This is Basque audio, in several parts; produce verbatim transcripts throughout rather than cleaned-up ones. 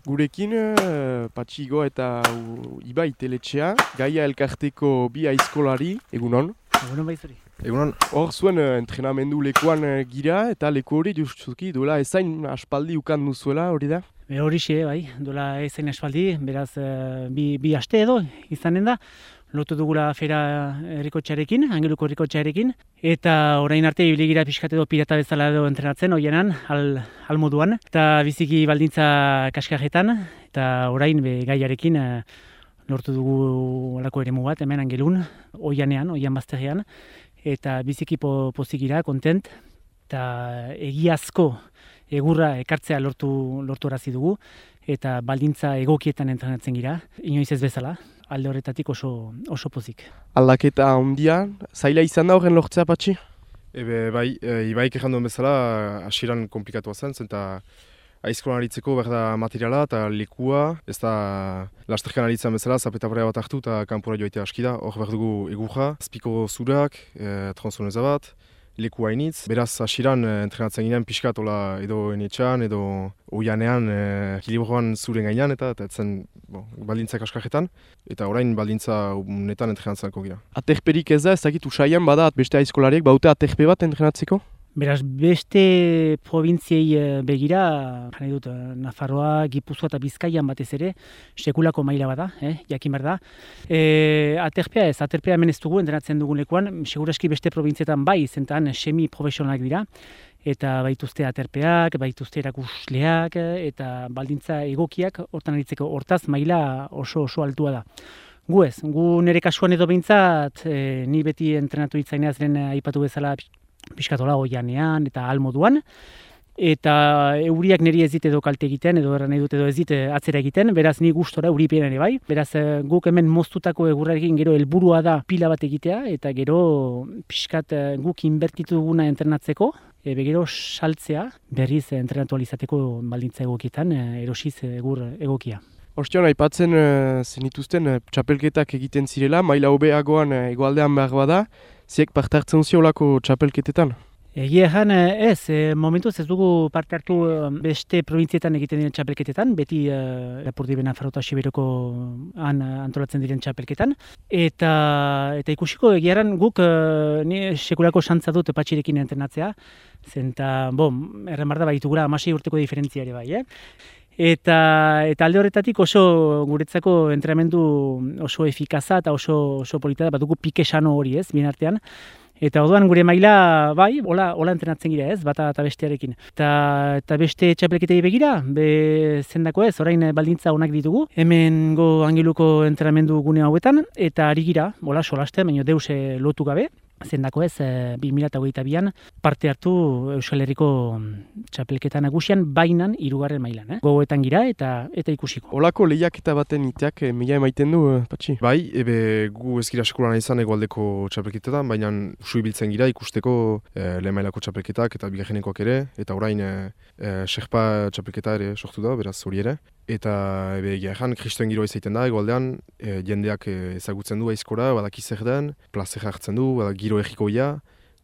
Gurekin, uh, Patxigo eta uh, Ibai Teletxea, Gaia Elkarteko bi aizkolari, egunon. Egunon baizuri. Egunon, hor zuen uh, entrenamendu lekuan uh, gira, eta leku hori justuki duela ezain aspaldi ukan duzuela, hori da? E, horixe, bai, duela ezain aspaldi, beraz uh, bi, bi aste edo izanen da. Lotu dugula fera herrikotxearekin, Angeluko herrikotxearekin, eta orain arte ibili gira pixkat edo pirata bezala edo entrenatzen, oienan, al, al moduan, eta biziki baldintza kaskarretan, eta orain be, gaiarekin uh, lortu dugu olako eremu bat, hemen Angelun, oianean, oian bazterrean, eta biziki po, pozik gira, kontent, eta egiazko egurra ekartzea lortu, lortu arazi dugu, eta baldintza egokietan entrenatzen gira, inoiz ez bezala. Alde horretatik oso, oso pozik. Aldaketa handia, zaila izan da horren lortzea, Patxi? Ebe, bai, e, Ibaik egin duen bezala, hasieran komplikatua zen, eta aizkolan aritzeko behar da materiala eta lekua, ez da lasterkan aritzen bezala, zapeta barea bat hartu eta kanpora joaitea aski da, hor behar dugu egurra, azpiko zurak, e, transoneza bat, leku hainitz. Beraz, hasieran e, entrenatzen ginen pixkat ola edo enetxan, edo oianean, e, ekilibroan zuren gainean, eta eta etzen bon, baldintzak askarretan, eta orain baldintza netan entrenatzeko gira. Aterperik ez da, ez dakit usaian bada beste aizkolariek, baute aterpe bat entrenatzeko? Beraz, beste probintziei begira, jane dut, Nafarroa, Gipuzkoa eta Bizkaian batez ere, sekulako maila bada, eh, jakin behar da. E, aterpea ez, aterpea hemen ez dugu, entrenatzen dugun lekuan, seguraski beste probintzietan bai, zentan semi-profesionalak dira, eta baituzte aterpeak, baituzte erakusleak, eta baldintza egokiak, hortan aritzeko, hortaz maila oso oso altua da. Gu ez, gu nire kasuan edo behintzat, e, ni beti entrenatu itzaineaz lehen aipatu bezala, pixkatola oianean eta almoduan, eta euriak niri ez dit edo kalte egiten, edo erran nahi dut edo ez dit atzera egiten, beraz ni gustora euripean ere bai, beraz guk hemen moztutako egurrarekin gero helburua da pila bat egitea, eta gero pixkat guk inbertitu duguna entrenatzeko, e, gero saltzea berriz entrenatu alizateko baldintza egokietan, erosiz egur egokia. Ostion, aipatzen uh, zenituzten uh, txapelketak egiten zirela, maila hobeagoan uh, egoaldean behar bada, ziek parte hartzen ziolako txapelketetan? Egia egan ez, e, momentuz ez dugu parte hartu beste provintzietan egiten diren txapelketetan, beti uh, Lapurdi Nafarroa eta Siberoko han antolatzen diren txapelketan. Eta, eta ikusiko egiaran guk uh, ni sekulako xantza dut Patxirekin entrenatzea, zenta, bon, erren barda baitugura hamasei urteko diferentzia ere bai, eh? Eta, eta alde horretatik oso guretzako entrenamendu oso efikaza eta oso, oso polita da, badugu pike sano hori ez, bien artean. Eta orduan gure maila, bai, hola, hola entrenatzen gira ez, bata eta bestearekin. Eta, eta beste txapelketei begira, be zendako ez, orain baldintza onak ditugu. Hemen go Angeluko entrenamendu gune hauetan, eta ari gira, hola, solaste, baina deuse lotu gabe. Zendako ez, bi mila hogeita bian parte hartu Euskal Herriko txapelketa nagusian bainan hirugarren mailan, eh? Gogoetan gira eta eta ikusiko. Olako lehiaketa baten iteak eh, mila emaiten du, eh, Patxi? Bai, ebe gu ez gira sekulan izan egoaldeko txapelketetan, baina usu ibiltzen gira ikusteko eh, lehen mailako txapelketak eta bigarrenekoak ere, eta orain eh, eh, Sherpa txapelketa ere sortu da, beraz hori ere. Eta ebe egia egan, kristoen giroa izaiten da, egoaldean, e, jendeak e, ezagutzen du aizkora, badaki zer den, plazera hartzen du, badak giro egikoia,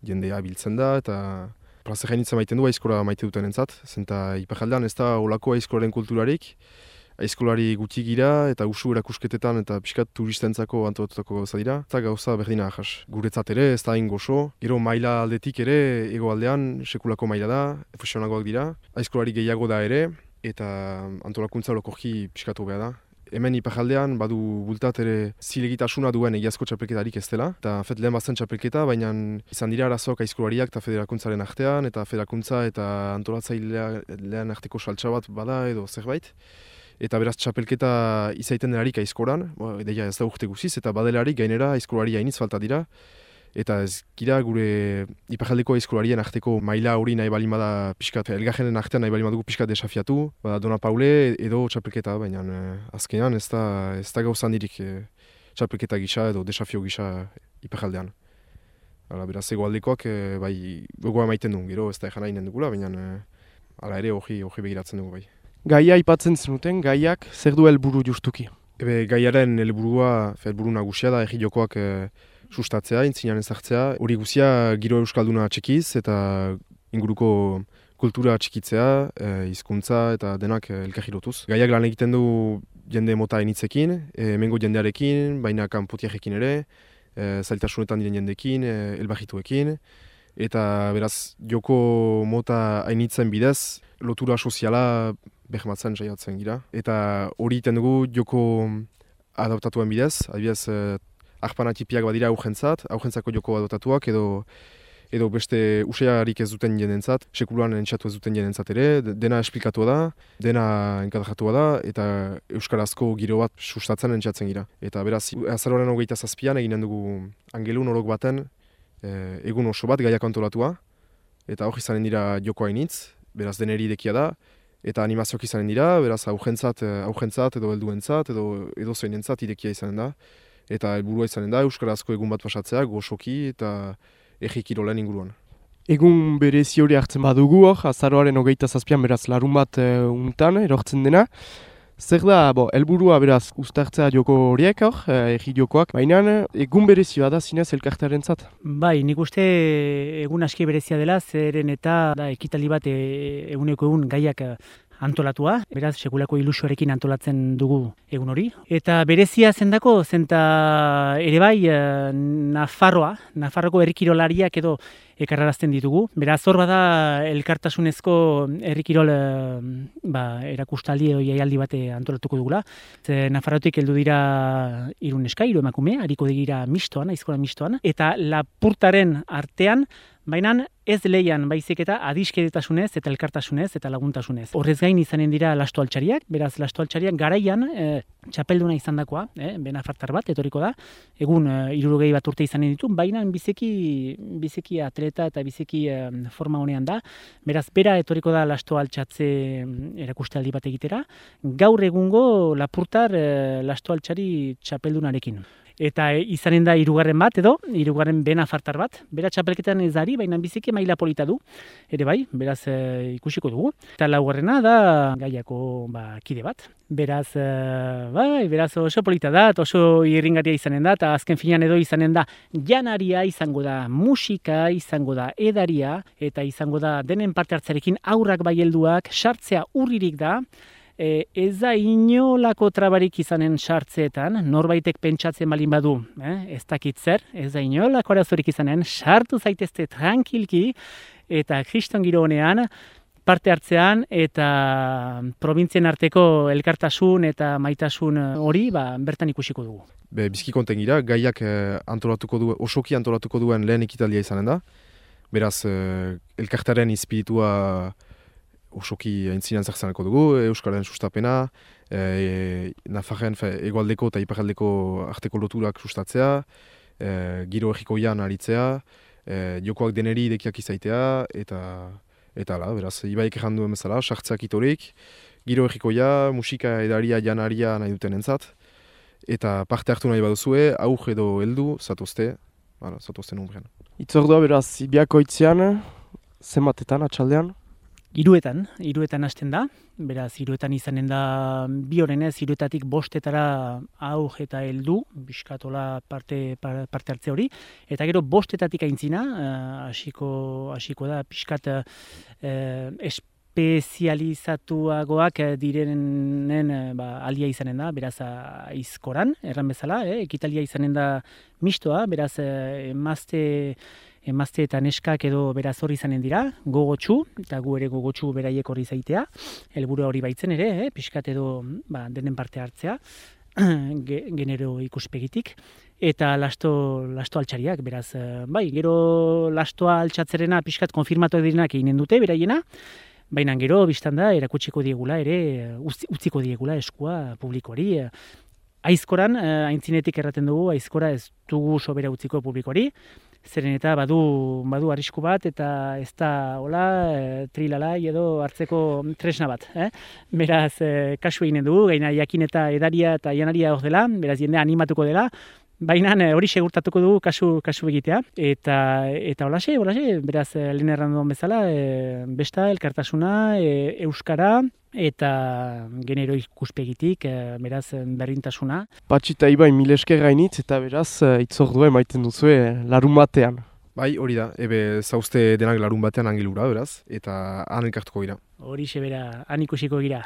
jendea biltzen da, eta plazera initzen maiten du aizkora maite duten entzat, zenta iparaldean ez da olako aizkolaren kulturarik, aizkolari guti gira, eta usu erakusketetan eta pixkat turistentzako antolatutako gauza dira, eta gauza berdina ahas. Guretzat ere, ez da hain goxo, gero maila aldetik ere, egoaldean, sekulako maila da, profesionagoak dira, aizkolari gehiago da ere, eta antolakuntza olokorki pixkatu behar da. Hemen iparaldean badu bultat ere zilegitasuna duen egiazko txapelketarik ez dela. Eta fet lehen bazten txapelketa, baina izan dira arazoak aizkolariak eta federakuntzaren artean, eta federakuntza eta antolatzailean arteko saltsa bat bada edo zerbait. Eta beraz txapelketa izaiten delarik aizkoran, edeia ez da urte guziz, eta badelarik gainera aizkolari hainitz falta dira. Eta ez gira gure iparaldeko aizkolarien arteko maila hori nahi balin bada pixkat, elgarrenen artean nahi balin badugu pixkat desafiatu, bada Dona Paule edo txapelketa, baina eh, azkenean ez da, ez da gauzan dirik eh, txapelketa gisa edo desafio gisa iparaldean. Hala, beraz egoaldekoak eh, bai gogoa maiten du, gero ez da egan nahi dugula, baina eh, hala ere hori hori begiratzen dugu bai. Gaia aipatzen zenuten, gaiak zer du helburu justuki? Ebe gaiaren helburua, helburu nagusia da egi jokoak eh, sustatzea, intzinean ezartzea. Hori guzia giro euskalduna txekiz eta inguruko kultura txikitzea, e, hizkuntza eta denak elkarri lotuz. Gaiak lan egiten du jende mota initzekin, e, hemengo jendearekin, baina kanpotiarekin ere, e, zailtasunetan diren jendekin, e, elbajituekin, eta beraz joko mota hainitzen bidez, lotura soziala behematzen saiatzen gira. Eta hori egiten dugu joko adaptatuen bidez, adibidez, e, arpanatipiak badira aurrentzat, aurrentzako joko adaptatuak edo edo beste usearik ez duten jendentzat, sekuluan entxatu ez duten jendentzat ere, dena esplikatua da, dena enkadratua da, eta euskarazko giro bat sustatzen entxatzen gira. Eta beraz, azaroaren hogeita zazpian eginen dugu angelun orok baten e, egun oso bat gaiak antolatua, eta hor izanen dira joko hainitz, beraz deneri idekia da, eta animazioak izanen dira, beraz aurrentzat, aurrentzat edo helduentzat edo edo zeinentzat idekia izanen da, eta helburua izanen da euskarazko egun bat pasatzea, goxoki eta egi kirolen inguruan. Egun berezi hori hartzen badugu hor, azaroaren hogeita zazpian beraz larun bat e, untan erortzen dena. Zer da, bo, helburua beraz uztartzea joko horiek hor, e, egi jokoak, baina egun berezioa da zinez elkartearentzat. Bai, nik uste egun aski berezia dela, zeren eta da, ekitaldi bat e, eguneko egun gaiak antolatua, beraz sekulako ilusioarekin antolatzen dugu egun hori. Eta berezia zendako, zenta ere bai Nafarroa, Nafarroko herrikirolariak edo ekarrarazten ditugu. Beraz hor bada elkartasunezko herrikirol ba, erakustaldi edo jaialdi bat antolatuko dugula. Ze Nafarrotik heldu dira hiru neska, hiru emakume, ariko dira mistoan, aizkola mistoan, eta lapurtaren artean, baina ez leian baizik eta adiskidetasunez eta elkartasunez eta laguntasunez. Horrez gain izanen dira lasto altxariak, beraz lasto altxariak garaian e, txapelduna izandakoa, e, benafartar bat etoriko da, egun e, hirurogei bat urte izanen ditu, baina biziki, biziki atleta eta biziki e, forma honean da, beraz bera etoriko da lasto altxatze erakustaldi bat egitera, gaur egungo lapurtar e, lasto altxari txapeldunarekin. Eta izanen da hirugarren bat edo, hirugarren benafartar bat. Bera txapelketan ez dari, baina biziki maila polita du. Ere bai, beraz e, ikusiko dugu. Eta laugarrena da gaiako ba, kide bat. Beraz, e, bai, beraz oso polita da, oso irringaria izanen da, eta azken finean edo izanen da janaria, izango da musika, izango da edaria, eta izango da denen parte hartzarekin aurrak bai helduak, sartzea urririk da. E, ez da inolako trabarik izanen sartzeetan, norbaitek pentsatzen balin badu, eh? ez dakit zer, ez da inolako arazorik izanen, sartu zaitezte tranquilki, eta kriston giro honean, parte hartzean eta probintzien arteko elkartasun eta maitasun hori ba, bertan ikusiko dugu. Be, bizki konten gira, gaiak eh, antolatuko du, osoki antolatuko duen lehen ekitaldia izanen da, beraz eh, elkartaren espiritua osoki aintzinean zertzaneko dugu, Euskararen sustapena, e, Nafarren egoaldeko eta iparaldeko arteko loturak sustatzea, e, giro egikoian aritzea, e, jokoak deneri idekiak izaitea, eta eta ala, beraz, ibaik erran duen bezala, sartzeak itorik, giro egikoia, musika edaria, janaria nahi duten entzat, eta parte hartu nahi baduzue, aur edo heldu, zatozte, ala, zatozte numbrean. Itzordua beraz, ibiako itzean, zenbatetan, atxaldean? Hiruetan, hiruetan hasten da, beraz hiruetan izanen da bi orenez, hiruetatik bostetara aur eta heldu, bizkatola parte, parte hartze hori, eta gero bostetatik aintzina, hasiko uh, hasiko da pixkat uh, espezializatuagoak direnen ba, aldia izanen da, beraz aizkoran, erran bezala, eh, ekitalia izanen da mistoa, beraz emazte emazte eta neskak edo beraz hori izanen dira, gogotsu, eta gu ere gogotsu beraiek hori zaitea, helburua hori baitzen ere, eh, pixkat edo ba, denen parte hartzea, genero ikuspegitik, eta lasto, lasto altxariak, beraz, bai, gero lastoa altxatzerena pixkat konfirmatu direnak eginen dute, beraiena, baina gero biztan da erakutsiko diegula ere, utziko diegula eskua publikoari, aizkoran, aintzinetik erraten dugu, aizkora ez dugu sobera utziko publikoari, zeren eta badu, badu arrisku bat, eta ez da hola, e, trilalai edo hartzeko tresna bat. Eh? Beraz, e, kasu eginen dugu, gaina jakin eta edaria eta janaria hor dela, beraz jendea animatuko dela, baina hori segurtatuko dugu kasu, kasu egitea. Eta, eta holaxe, holaxe, beraz, lehen erran duen bezala, e, besta, elkartasuna, e, euskara, eta genero ikuspegitik, e, beraz, berdintasuna. Patxi eta Ibai mil esker gainitz, eta beraz, itzordua emaiten duzue larun batean. Bai, hori da, ebe zauzte denak larun batean angilura, beraz, eta han elkartuko gira. Hori sebera, han ikusiko gira.